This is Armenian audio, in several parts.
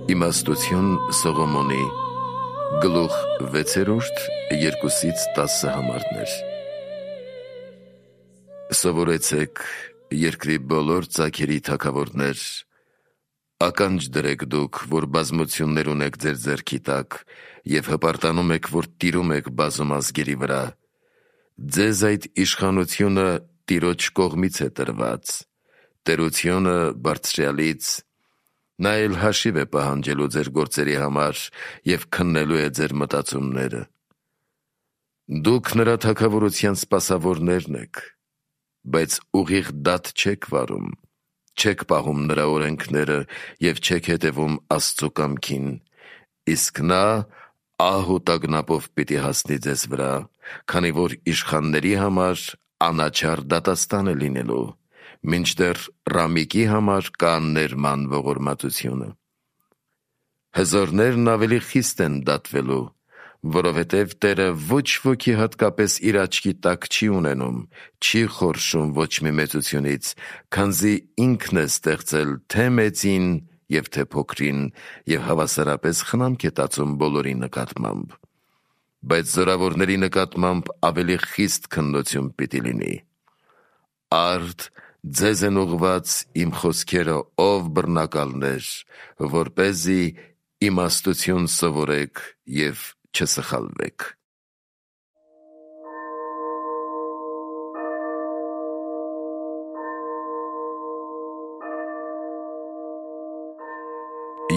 Իմաստություն Սողոմոնի գլուխ 6-րդ 2-10 համարներ։ Սովորեցեք երկրի բոլոր ծագերի թագավորներ, ականջ դրեք դուք, որ բազմություններ ունեք ձեր ձեռքի տակ և հպարտանում եք, որ տիրում եք բազում ազգերի վրա։ Ձեզ այդ իշխանությունը Տիրոջ կողմից է տրված, տերությունը Բարձրյալից։ Նա էլ հաշիվ է պահանջելու ձեր գործերի համար և քննելու է ձեր մտածումները։ Դուք նրա թագավորության սպասավորներն եք, բայց ուղիղ դատ չեք վարում, չեք պահում նրա օրենքները և չեք հետևում Աստծու կամքին, իսկ նա ահ ու տագնապով պիտի հասնի ձեզ վրա, քանի որ իշխանների համար անաչառ դատաստան է լինելու, մինչդեռ Ռամիկի համար կա ներման ողորմածությունը։ Հզորներն ավելի խիստ են դատվելու, որովհետև Տերը ոչ ոքի հատկապես իր աչքի տակ չի ունենում, չի խորշում ոչ մի մեծությունից, քանզի ինքն է ստեղծել թե մեծին և թե փոքրին և հավասարապես խնամք է տածում բոլորի նկատմամբ, բայց զորավորների նկատմամբ ավելի խիստ քննություն պիտի լինի։ Արդ ձեզ են ուղված իմ խոսքերը, ով բռնակալներ, որպեսզի իմաստություն սովորեք և չսխալվեք։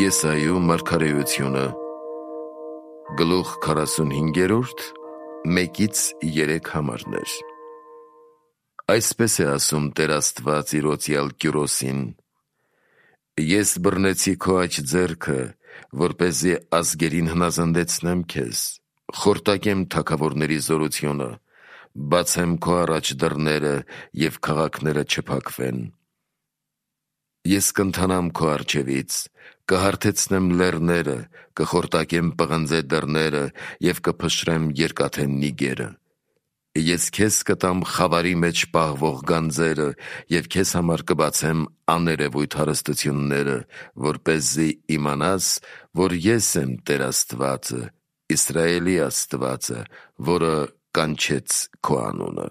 Եսայու մարգարեությունը գլուխ 45, 1-3 համարներ։ Այսպես է ասում Տեր Աստված իր օծյալ Կյուրոսին. ես բռնեցի քո աջ ձեռքը, որպեսզի ազգերին հնազանդեցնեմ քեզ, խորտակեմ թագավորների զորությունը, բացեմ քո առաջ դռները և քաղաքները չփակվեն։ Ես կընթանամ քո առջևից, կհարթեցնեմ լեռները, կխորտակեմ պղնձե դռները և կփշրեմ երկաթե նիգերը։ Ես քեզ կտամ խավարի մեջ պահվող գանձերը և քեզ համար կբացեմ աներևույթ հարստությունները, որպեսզի իմանաս, որ ես եմ Տեր Աստվածը, Իսրայելի Աստվածը, որը կանչեց քո անունը։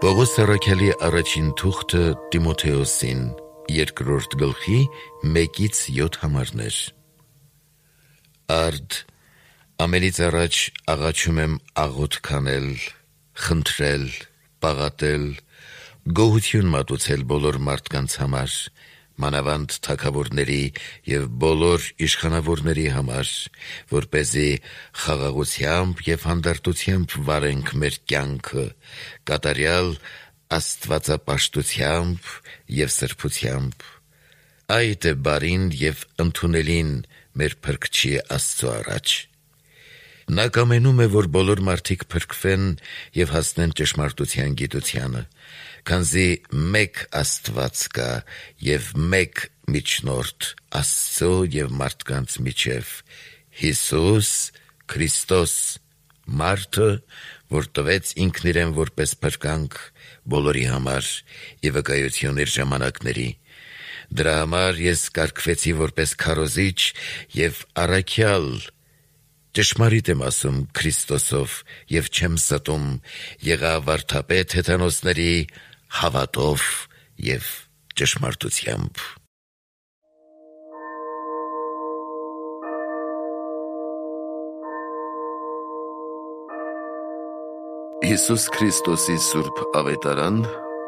Պողոս առաքյալի առաջին թուղթը Տիմոթեոսին, 2 գլխի 1-7 համարներ։ Արդ ամենից առաջ աղաչում եմ աղոթք անել, խնդրել, պաղատել, գոհություն մատուցել բոլոր մարդկանց համար, մանավանդ թագավորների և բոլոր իշխանավորների համար, որպեսզի խաղաղությամբ և հանդարտությամբ վարենք մեր կյանքը, կատարյալ աստվածապաշտությամբ և սրբությամբ։ Այդ է բարին և ընդունելին մեր Փրկչի Աստծու առաջ։ Նա կամենում է, որ բոլոր մարդիկ փրկվեն և հասնեն ճշմարտության գիտությանը, քանզի մեկ Աստված կա և մեկ միջնորդ Աստծու և մարդկանց միջև, Հիսուս Քրիստոս, մարդը, որ տվեց ինքն իրեն որպես փրկանք բոլորի համար ի վկայություն իր ժամանակների։ Դրա համար ես կարգվեցի որպես քարոզիչ և առաքյալ, ճշմարիտ եմ ասում Քրիստոսով և չեմ ստում, եղա վարդապետ հեթանոսների հավատով և ճշմարտությամբ։ Հիսուս Քրիստոսի Սուրբ Ավետարան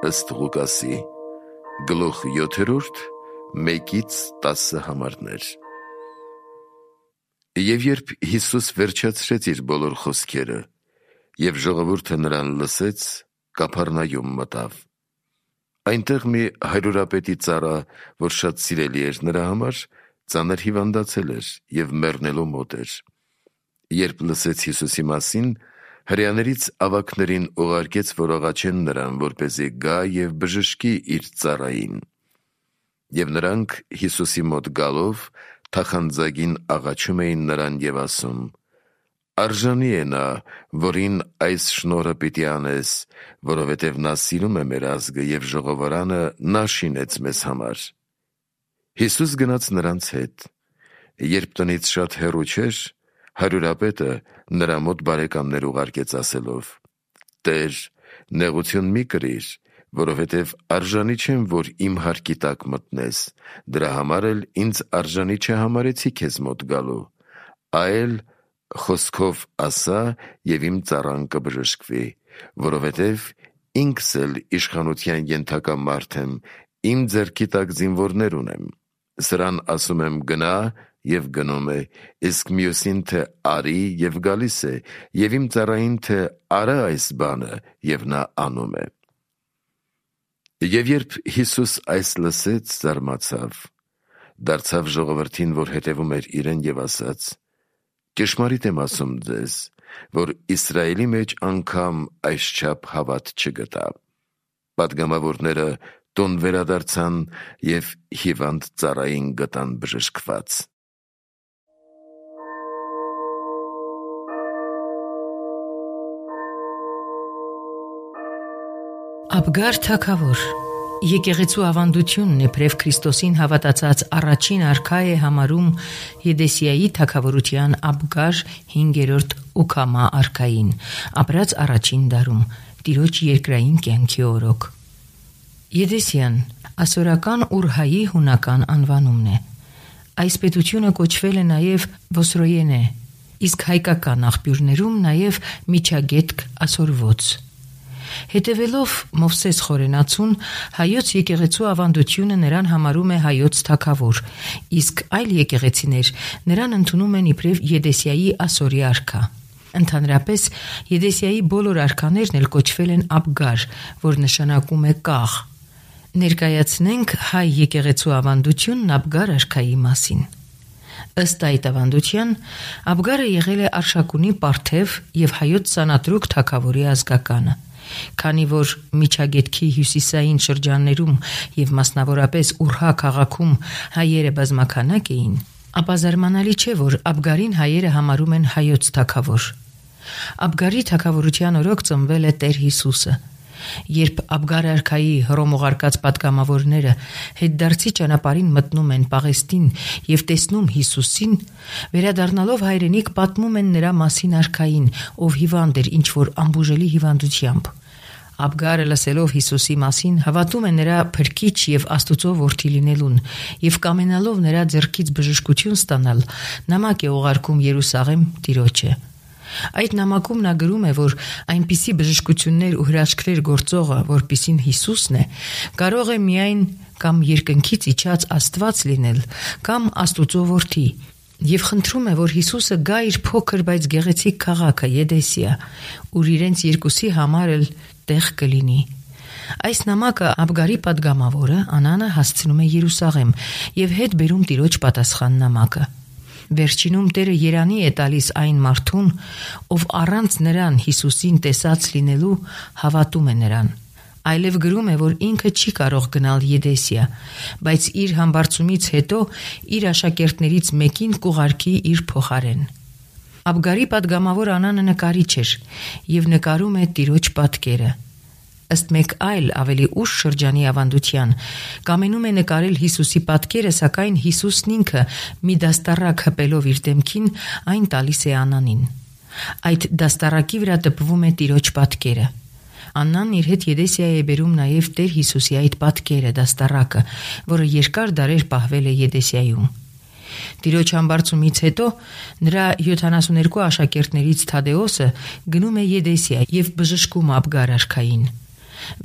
ըստ Ղուկասի գլուխ 7, 1-10 համարներ։ Եվ երբ Հիսուս վերջացրեց իր բոլոր խոսքերը, և ժողովուրդը նրան լսեց, Կափառնայում մտավ։ Այնտեղ մի հարյուրապետի ծառա, որ շատ սիրելի էր նրա համար, ծանր հիվանդացել էր և մեռնելու մոտ էր։ Երբ լսեց Հիսուսի մասին, հրեաներից ավագներին ուղարկեց, որ աղաչեն նրան, որպեսզի գա և բժշկի իր ծառային։ Եվ նրանք Հիսուսի մոտ գալով թախանձագին աղաչում էին նրան և ասում. Արժանի է նա, որին այս շնորհը պիտի անես, որովհետև նա սիրում է մեր ազգը և ժողովարանը նա շինեց մեզ համար։ Հիսուս գնաց նրանց հետ։ Երբ տնից շատ հեռու չէր, հարյուրապետը նրա մոտ բարեկամներ ուղարկեց ասելով. «Տեր, նեղություն մի կրիր, որովհետև արժանի չեմ, որ իմ հարկի տակ մտնես, դրա համար էլ ինձ արժանի չհամարեցի քեզ մոտ գալու, այլ խոսքով ասա և իմ ծառան կբժշկվի, որովհետև ինքս էլ իշխանության ենթակա մարդ եմ, իմ ձեռքի տակ զինվորներ ունեմ, սրան ասում եմ գնա և գնում է, իսկ մյուսին թե արի և գալիս է, և իմ ծառային թե արա այս բանը և նա անում է»։ Եվ երբ Հիսուս այս լսեց, զարմացավ, դարձավ ժողովրդին, որ հետևում էր իրեն, և ասաց. «Ճշմարիտ եմ ասում ձեզ, որ Իսրայելի մեջ անգամ այսչափ հավատ չգտա»։ Պատգամավորները տուն վերադարձան և հիվանդ ծառային գտան բժշկված։ Աբգար թագավոր եկեղեցու ավանդությունն իբրև Քրիստոսին հավատացած առաջին արքա է համարում Եդեսիայի թագավորության Աբգար 5-րդ Ուքամա արքային, ապրած առաջին դարում, Տիրոջ երկրային կյանքի օրոք։ Եդեսիան ասորական Ուրհայի հունական անվանումն է։ Այս պետությունը կոչվել է նաև Վոսրոյենե, իսկ հայկական աղբյուրներում նաև Միջագետք ասորվոց։ Հետևելով Մովսես խորենացուն, հայոց եկեղեցու ավանդությունը նրան համարում է հայոց թագավոր, իսկ այլ եկեղեցիներ նրան ընդունում են իբրև Եդեսիայի ասորի արքա։ Ընդհանրապես, Եդեսիայի բոլոր արքաներն էլ կոչվել են Աբգար, որ նշանակում է կաղ։ Ներկայացնենք հայ եկեղեցու ավանդությունն Աբգար արքայի մասին։ Ըստ այդ ավանդության, Աբգարը եղել է Արշակունի պարթև և հայոց Սանատրուկ թագավորի ազգականը։ Քանի որ Միջագետքի հյուսիսային շրջաններում և մասնավորապես Ուրհա քաղաքում հայերը բազմաքանակ էին, ապա զարմանալի չէ, որ Աբգարին հայերը համարում են հայոց թագավոր։ Աբգարի թագավորության օրոք ծնվել է Տեր Հիսուսը։ Երբ Աբգար արքայի հռոմուղարկած պատգամավորները հետդարձի ճանապարհին մտնում են Պաղեստին և տեսնում Հիսուսին, վերադառնալով հայրենիք պատմում են նրա մասին արքային, ով հիվանդ էր ինչ-որ անբուժելի հիվանդությամբ։ Աբգարը լսելով Հիսուսի մասին հավատում է նրա փրկիչ և Աստուծո որդի լինելուն և կամենալով նրա ձեռքից բժշկություն ստանալ, նամակ է ուղարկում Երուսաղեմ Տիրոջը։ Այդ նամակում նա գրում է, որ այնպիսի բժշկություններ ու հրաշքներ գործողը, որպիսին Հիսուսն է, կարող է միայն կամ երկնքից իջած Աստված լինել, կամ Աստուծո որդի, և խնդրում է, որ Հիսուսը գա իր փոքր, բայց գեղեցիկ քաղաքը Եդեսիա, ուր իրենց երկուսի համար էլ տեղ կլինի։ Այս նամակը Աբգարի պատգամավորը Անանը հասցնում է Երուսաղեմ և հետ բերում Տիրոջ պատասխան նամակը։ Վերջինում Տերը երանի է տալիս այն մարդուն, ով առանց նրան Հիսուսին տեսած լինելու հավատում է նրան։ Այլև գրում է, որ ինքը չի կարող գնալ Եդեսիա, բայց իր համբարձումից հետո իր աշակերտներից մեկին կուղարկի իր փոխարեն։ Աբգարի պատգամավոր Անանը նկարիչ էր և նկարում է Տիրոջ պատկերը։ Ըստ մեկ այլ ավելի ուշ շրջանի ավանդության, կամենում է նկարել Հիսուսի պատկերը, սակայն Հիսուսն ինքը մի դաստառակ հպելով իր դեմքին այն տալիս է Անանին։ Այդ դաստառակի վրա տպվում է Տիրոջ պատկերը։ Աննան իր հետ Եդեսիա է բերում նաև Տեր Հիսուսի այդ պատկերը, դաստառակը, որը երկար դարեր պահվել է Եդեսիայում։ Տիրոջ համբարձումից հետո նրա 72 աշակերտներից Թադեոսը գնում է Եդեսիա և բժշկում Աբգար արքային։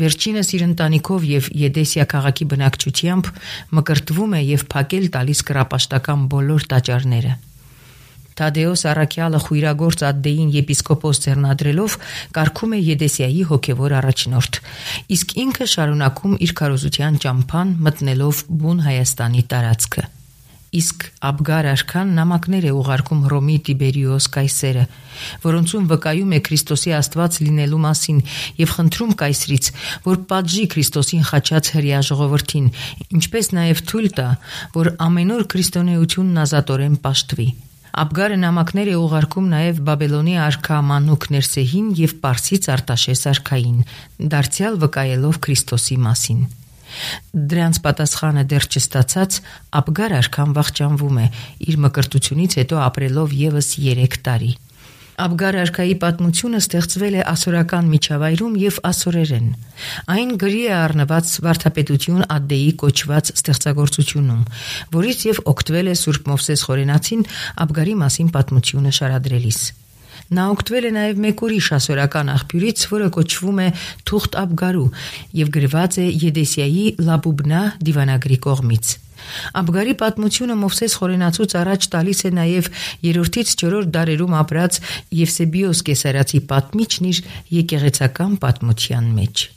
Վերջինս իր ընտանիքով և Եդեսիա քաղաքի բնակչությամբ մկրտվում է և փակել տալիս կռապաշտական բոլոր տաճարները։ Թադեոս առաքյալը խույրագործ Ադդեին եպիսկոպոս ձեռնադրելով կարգում է Եդեսիայի հոգևոր առաջնորդ, իսկ ինքը շարունակում իր քարոզության ճամփան մտնելով բուն Հայաստանի տարածքը։ Իսկ Աբգար արքան նամակներ է ուղարկում Հռոմի Տիբերիոս կայսերը, որոնցում վկայում է Քրիստոսի Աստված լինելու մասին և խնդրում կայսրից, որ պատժի Քրիստոսին խաչած հրեա ժողովրդին, ինչպես նաև թույլ տա, որ ամեն օր քրիստոնեությունն ազատորեն պաշտվի։ Աբգարը նամակներ է ուղարկում նաև Բաբելոնի արքա Մանուկ Ներսեհին եւ Պարսից Արտաշես արքային, դարձյալ վկայելով Քրիստոսի մասին։ Դրանց պատասխանը դեռ չստացած Աբգար արքան վախճանվում է, իր մկրտությունից հետո ապրելով եւս 3 տարի։ Աբգար արքայի պատմությունը ստեղծվել է ասորական միջավայրում եւ ասորերեն։ Այն գրի է առնված վարդապետություն Ադդեի կոչված ստեղծագործությունում, որից եւ օգտվել է Սուրբ Մովսես Խորենացին Աբգարի մասին պատմությունը շարադրելիս։ Նա օգտվել է նաև մեկ ուրիշ ասորական աղբյուրից, որը կոչվում է Թուղթ Աբգարու եւ գրված է Եդեսիայի Լաբուբնա դիվանագրի կողմից։ Աբգարի պատմությունը Մովսես Խորենացուց առաջ տալիս է նաև 3-ից 4 դարերում ապրած Եվսեբիոս Կեսարացի պատմիչն իր եկեղեցական պատմության մեջ։